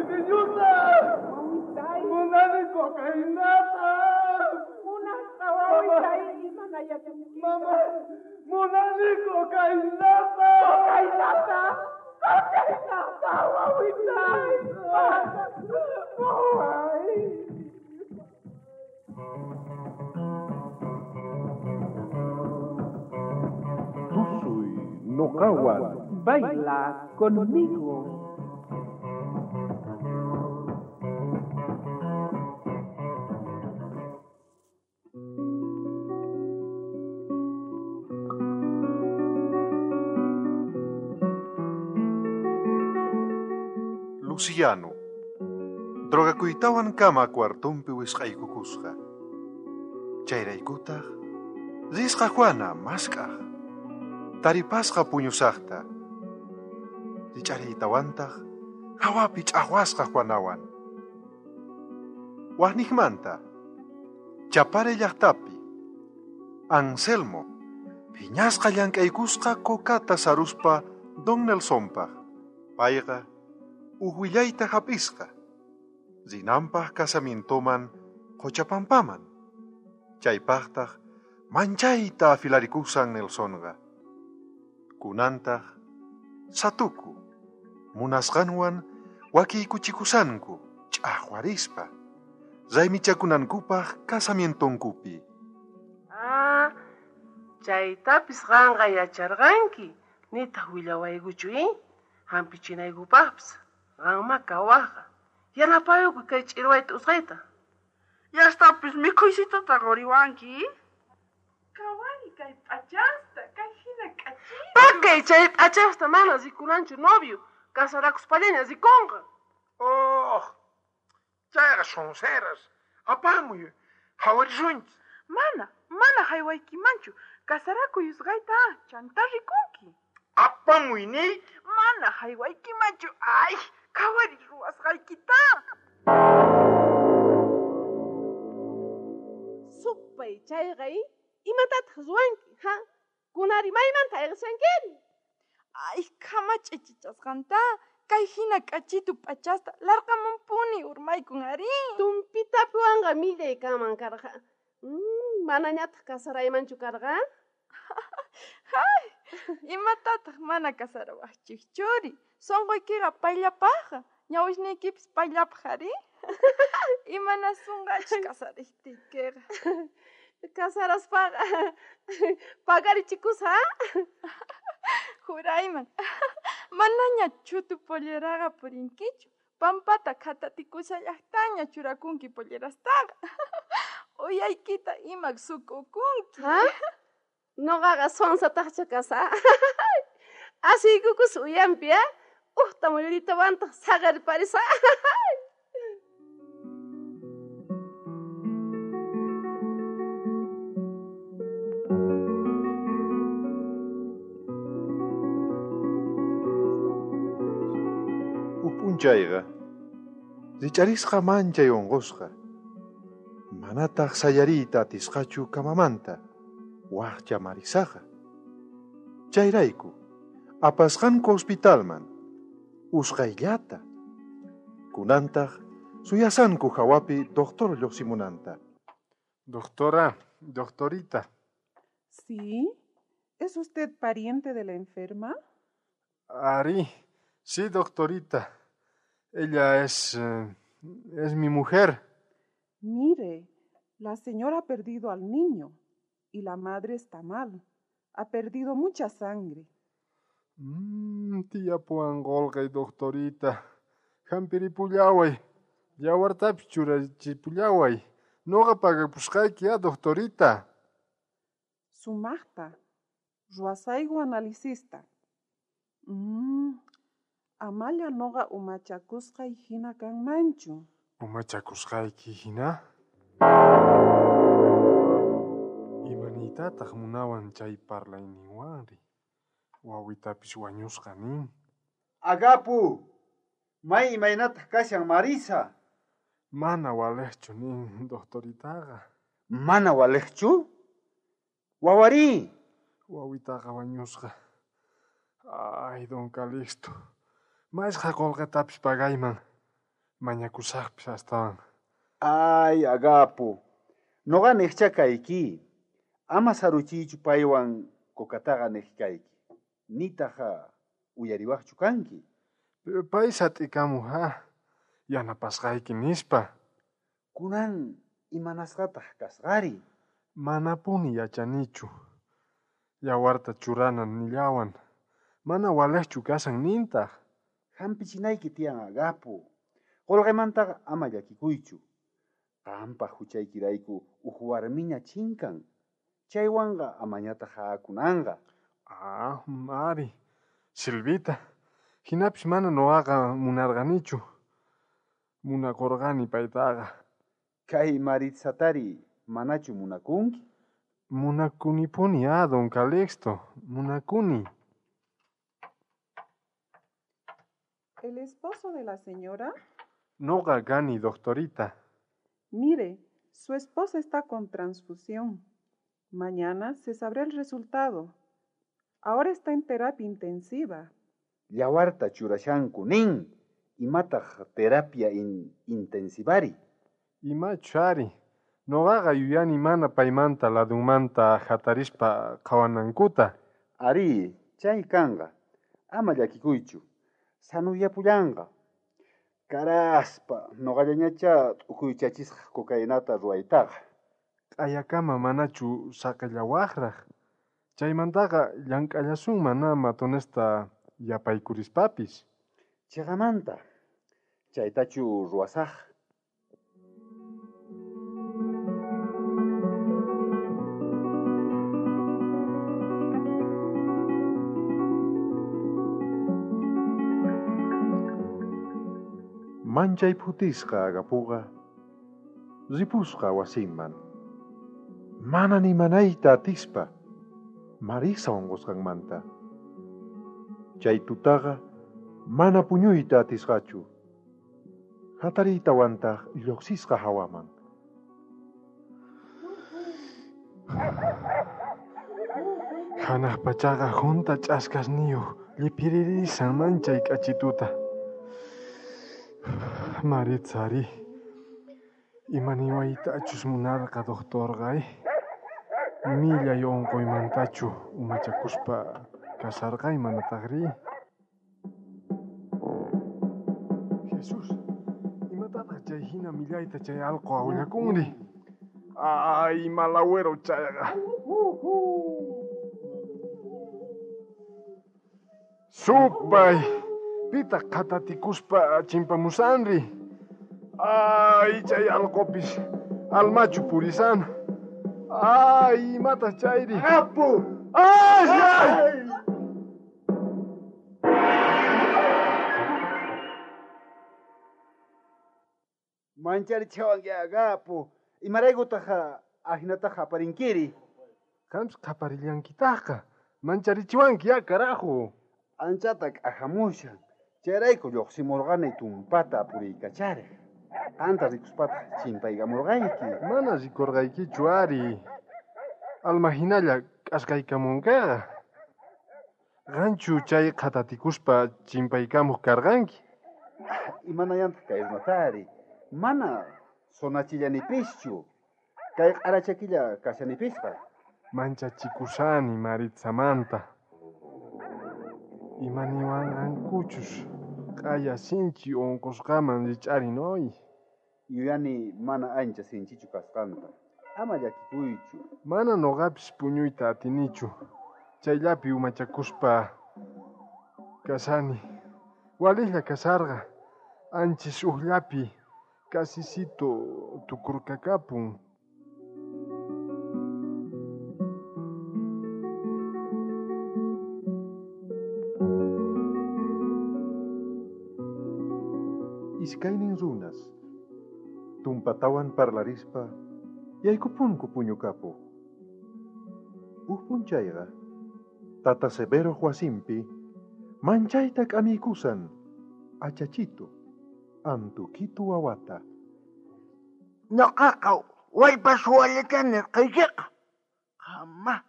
Diseñuta! Wawitay. Munani cocainata! Munasqa wawitay, imanayachunki. Mama, munani cocainata! Cocainata! Cocainata, wawitay! Waway! Tusuy noqawan. Baila conmigo. Luciano, drogakuytawan kama cuartonpi wisq'aykukusqa. Chayraykutaq risqa Juana mask'aj. Taripasqa puñusaqta. Rich'ariytawantaq hawapi ch'aqwasqa Juanawan. Waqniqmanta, Chapare llaqtapi, Anselmo, phiñasqa llank'aykusqa kokata saruspa Don Nelsonpaq. Payqa uj willayta hap'isqa. Rinanpaq casamientoman Qochapampaman. Chaypaqtaq manchayta afilarikusan Nelsonqa. Kunantaq satuku munasqanwan wakiykuchikusanku ch'aqwarispa raymichakunankupaq casamientonkupi. Ah, chaytapis qanqa yacharqanki, nitaq willawaykuchu, Hampichinaykupaqpis qanma kawaqqa. Yanapayuku kay ch'irwayta usqayta. Yastapis mikhuysitata quriwanki. Kawani kay p'achasta, kay hina k'achita. Pakay chay p'achasta mana rikunanchu novio, casarakuspallaña rikunqa. Oh, chayqa sonceras. Apamuy, qhawarisunchis. Mana, mana haywaykimanchu. Casarakuy usqayta, chanta rikunki. Apamuy niy. Mana haywaykimanchu. Ay, qhawari ruwasqaykita. Supay chayqa, imatataq ruwanki, ha? Kunari maymanta ayqishankiri? Ay, kama ch'ichichasqanta, kay hina k'achitu p'achasta larqamunpuni urmaykun ari. Tumpitapiwanqa millay kanman karqa. Manañataq casaraymanchu karqa? Hay, imatataq mana casarawaqchikchuri? Sunquykiqa payllapaqqa, ñawisniykipis payllapaq ari. Imanasunqachis casariqtiykiqa? Casaraspaqa pagarichikusqa. Jurayman, manaña chutu polleraqa purinkichu. Pampata khatatikusallaqtaña churakunki pollerastaqa. Uyaykita imak suk'ukunki. Ha? Noqaqa sonsataqcha kasa. Asiykukus uyampi, Uhta muyuritawantaq saqerparisa. Uj p'unchayqa rich'arisqa manchay unqusqa. Manataq sayariyta atisqachu kamamanta, waqcha Marisaqa. Chayrayku apasqanku hospitalman, usqhayllata. Kunantaq suyasanku hawapi doctor lluqsimunanta. Doctora, doctorita. Sí, ¿es usted pariente de la enferma? Ari, sí, doctorita. Ella es mi mujer. Mire, la señora ha perdido al niño y la madre está mal. Ha perdido mucha sangre. Tía puan qolqay, doctorita. Hampiripullaway, yawartapis churachipullaway. Noqa pagapusqayki, doctorita. Sumaqta, ruwasayku analisista. Amalla noqa umachakusqay hina kanmanchu. Umachakusqayki hina? Imaniytataq munawan chay parlayninwanri? Wawitapis wañusqa nin. Agapu, may imaynataq kashan Marisa? Mana waliqchu nin doctoritaqa. Mana waliqchu? Wawari. Wawitaqa wañusqa. Ay, don Calixto, mashqa qolqetapis pagayman. Mañakusajpis astawan. Ay, Agapo, noqa nejcha kayki. Ama saruchiychu paywan kokataqa nej kayki. Nitaj uyariwajchu kanki. Pay sat'ikamuj ha, yanapasqayki nispa. Kunan imanasqataq kasqari? Manapuni yachanichu. Yawarta churana nillawan. Mana walejchu kashan nintaj. Hampichinayki tiyan, Agapo. Qolqemantaqa ama llakikuychu. Qanpaj huchaykirayku uj warmiña chinkan. Chaywanqa amañataq haakunanqa. Ah, Mari. Silvita. Hinapis mana noqaqa munarqanichu. Munakurqani paytaqa. Kay Maritsatari manachu munakunki? Munakunipuni a don Calixto. Munakuni. ¿El esposo de la señora? Noqa kani, doctorita. Mire, su esposa está con transfusión. Mañana se sabrá el resultado. Ahora está en terapia intensiva. Yawarta churashanku nin. Imataq terapia intensivari. Imachu ari. Noqaqa yuyani mana paymanta ladunmanta hatarispa qhawanankuta. Ari, chay kanqa. Ama llakikuychu. Sanuyapullanqa. Karaspa, noqallañachá t'ukuychachisqa cocainata ruwaytaqa. Q'ayakama manachu saqellawaqraq. Chaymantaqa llank'allasunman matonesta yapaykulispapis. Chiqamanta, chaytachu ruwasaq? Manchay phutisqa Agapuqa ripusqa wasinman. Mana nimanayta atispa Marisa unqusqanmanta. Chay tutaqa mana puñuyta atisqachu. Hatariytawantaq lluqsisqa hawaman. Hanaq pachaqa junta ch'askasniyuq lliphiririsan manchay k'achituta. Maritza ari, imaniwaytachus munarqa doctorqa, Millay unquymantachu umachakuspa kasarqay manataqri? Jesús, imatataq chay hina millayta chay allqu awllakunri? Ay, malagüero chayqa. Supay, pitaq qhatatikuspa chimpamusanri? Ay, chay allqupis almachu purisan. Ay, imataq chayri? Apu! Ay, ay! Mancharichiwanki, Agapo. Imaraykutaq ahinataqa aparinkiri? Qampis qhaparillankitaqqa. Mancharichiwanki ya, carajo. Anchata k'ajamushan. Chayrayku lluqsimurqani tumpata puriykacharej. Qanta rikuspataq chimpaykamurqayki. Mana rikurqaykichu ari. Alma hinalla k'askaykamunkiqa. Qanchu chay qhatatikuspa chimpaykamuq karqanki? Imanayantaq kay runatari? Mana sonachillanipischu. Kay q'arachakilla kashanipisqa. Manchachikusani Maritsamanta. Imaniwanqankuchus q'aya sinchi unqusqaman rich'arin hoy. Yuyani mana ancha sinchichu kasqanta. Ama llakikuychu. Mana noqapis puñuyta atinichu. Chayllapi umachakuspa kasani. Walejlla kasarqa. Anchis ujllapi kasisito tukurkakapun. Iskaynin runas tumpatawan parlarispa yaykupunku puñukapuq. Uj p'unchayqa tata Severo wasinpi manchayta k'amiykusan achachito antukitu wawata. Noqaqa wallpa suwallata nirqaykiqa. Qamma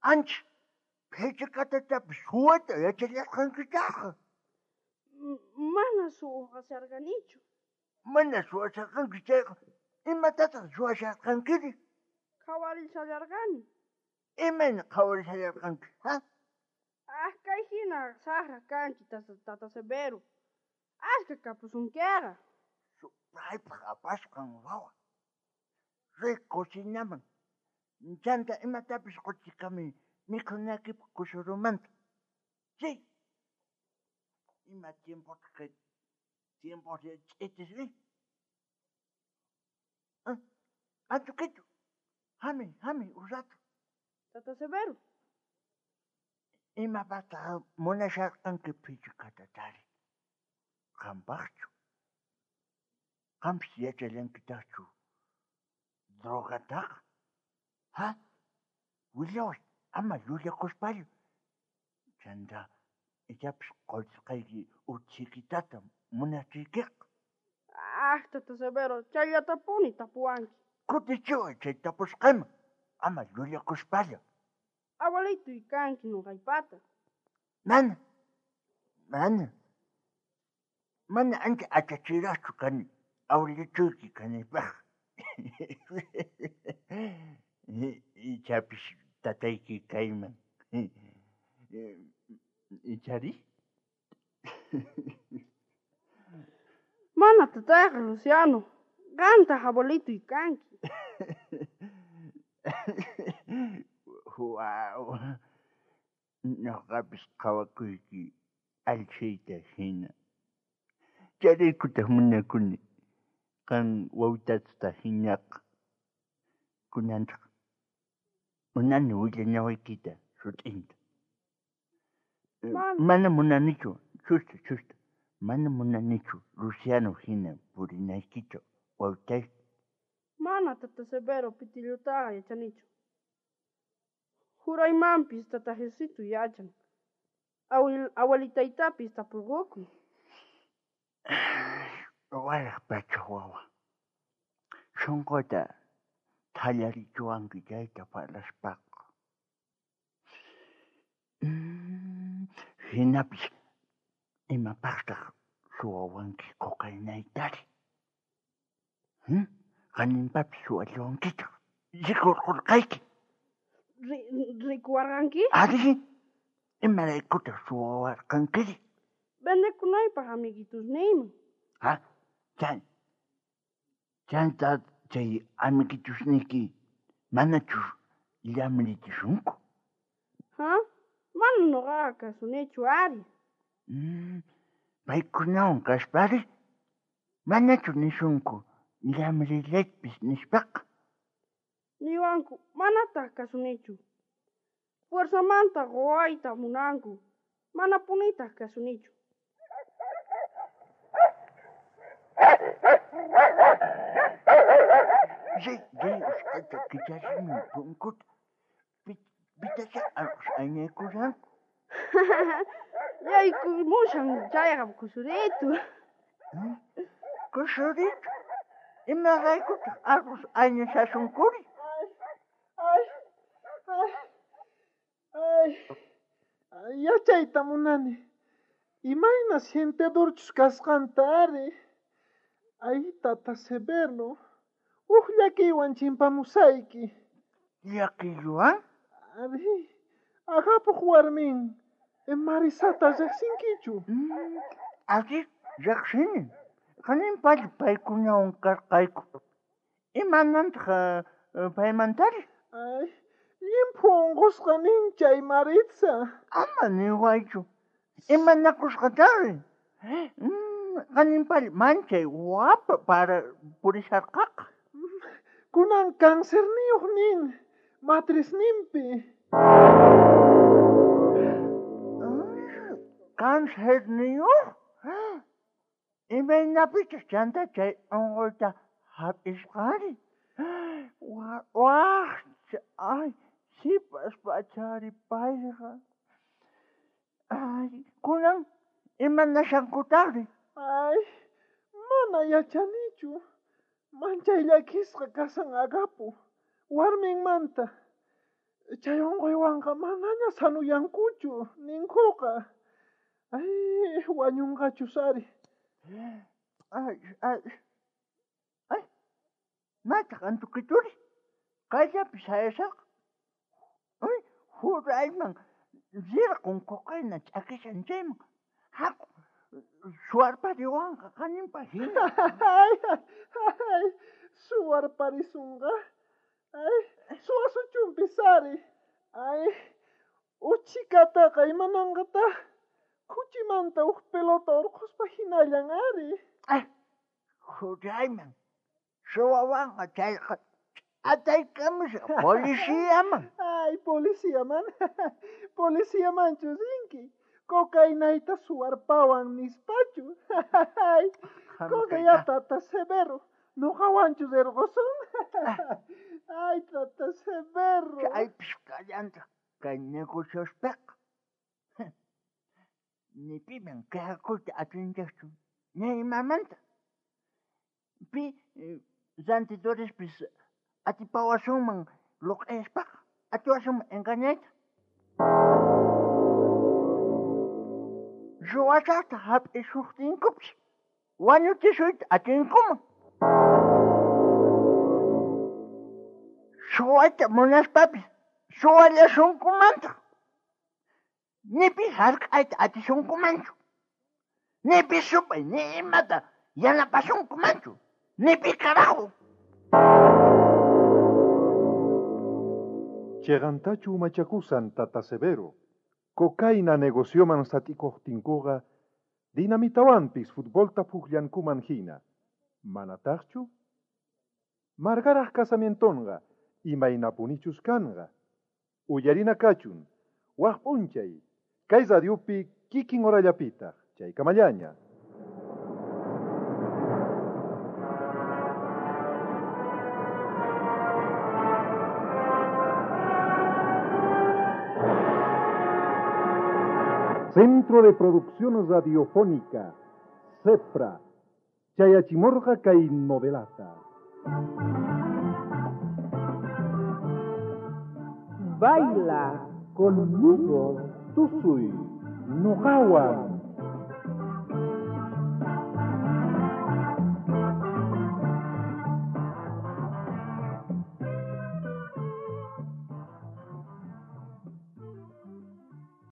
ancha phichqatatapis suwayta yachallarqankitaqqa. Mana suwasharqanichu. Mana suwasharqanki chayqa, imatataq suwasharqankiri? Qhawarishallarqani. Imayna qhawarishallarqanki, ha? Ah, kay hina saqra kanki, tata Severo. Ashka kapusunkiqa. Supraypaq apasqan wawa. Riy cocinaman. Chanta imatapis quchikamuy mikhunaykipaq kusurumanta. Riy. Ima tiempotaq kay tiempos ch'itisri? Anchukichu. Hamuy, hamuy, uj rato. Tata Severo. Imapaqtaq munasharqanki phichikatatari? Qampaqchu? Qampis yachallankitaqchu drogataqa? Ha? Willaway, ama llullakuspalla. Chanta ichapis qollisqayki uj chhikitata munachiykiqa. Ah, tata Severo, chayllatapuni tapuwanki. Kutichiway chay tapusqayman, ama llullakuspalla. Abuelitoy kanki noqaypata. Mana, mana. Mana ancha achachiraqchu kani abuelitoyki kanaypaq. Ichapis tatayki kayman. Ichari? Mana tatayqa, Luciano. Qantaq abuelitoy kanki. Guau. Noqapis qhawakuyki allchhayta hina. Chayraykutaq munakuni qan wawitasta hinaqa. Kunantaq munani willanawaykita sut'inta. Mana munanichu, chusta, chusta. Mana munanichu Luciano hina purinaykita wawitay. Mana tata Severo pitillutaqa yachanichu. Juraymanpis tata Jesuito yachan. Abuelitaytapis tapurqukun. Waraj pacha wawa. Sunquta thallarichiwanki chayta parlaspaqa. Hinapis imapaqtaq suwawanki cocainaytari? Qaninpapis suwallawankitaq. Rikurqurqayki. Rikuwarqanki? Ari, imaraykutaq suwawarqankiri? Vendekunaypaq amiguitusniyman. Ha? Chanta chay amiguitusniyki manachu llamrichisunku? Ha? Mana noqaqa kasunichu ari. Paykunawan kaspari manachu nisunku llamrillaypis nispaqa? Niwanku manataq kasunichu. Fuerzamanta quwayta munanku, manapunitaq kasunichu. Riy, riy, usqhayta kicharimuy punkuta. Pitacha allqus ayñaykushanku. Yaykumushan chayqa kusuritu. Kusuritu? Imaraykutaq allqus ayñashasunkuri? Ay, ay, ay, ay, yachayta munani. Imayna sientedorchus kasqanta ari. Ay, tata Severo, uj llakiywan chimpamusayki. Llakiywan? Ari, Agapoq warmin, Marisata riqsinkichu? Ari, riqsini. Qaninpalla paykunawan karqayku. Imanantaq paymantari? Ay, llimphu unqusqa nin chay Maritza. Ama niwaychu. Imanakusqatari? Qaninpalla manchay wapa para purisharqaqa. Kunan cancerniyuq nin, matrisninpi. Cancerniyuq? Imaynapichus chanta chay unquyta hap'isqari? Waqcha, ay, sipas pachari payqa. Ay, kunan imanashankutaqri? Ay, mana yachanichu. Manchay llakisqa kasan Agapo, warminmanta. Chay unquywanqa manaña sanuyankuchu, ninkuqa. Ay, wañunqachus ari. Ay, ay, Maytaq antukituri? Kayllapi sayashaqa. Uy, jurayman rirqun cocaína ch'akishan chayman. Haku, suwarpariwanqa qaninpa hina. Ay, ay, suwarparisunqa. Ay, suwasuchunpis ari. Ay, uchikataqa imananqataq? Khuchimanta uj pelota urqhuspa hinallan ari. Ay, jurayman suwawanqa chayqa ch'ataykamusaq policiaman. Ay, policiaman. Policiamanchu rinki. Cocainayta suwarpawan nispachu. Ay, coca tata Severo. Noqawanchu rirqusun. Ay, tata Severo. Chaypis kallantaq kay negociospiqa. Ni piman quejakuyta atinchikchu, ni imamanta. Pi rantidorespis atipawasunman luq'ispaqa, atiwasunman engañayta. Ruwasaqta hap'isuqtinkupis wañuchisuyta atinkuman. Suwayta munaspapis suwallasunkumantaq. Ni pi hark'ayta atisunkumanchu. Ni pi supay ni imata yanapasunkumanchu. Ni pi carajo. Chegantachu umachakusan tata Severo. Cocaína negocioman sat'ikuqtinkuqa dinamitawanpis futbolta pukllankuman hina. Manataqchu? Margaraj casamientonqa imaynapunichus kanqa. Uyarina kachun, waj p'unchay, kay radiopi kikin horallapitaq, chaykamallaña. Centro de Producción Radiofónica, CEPRA, Chayachimorga kay novelata. Baila conmigo, Tusuy, Noqawan.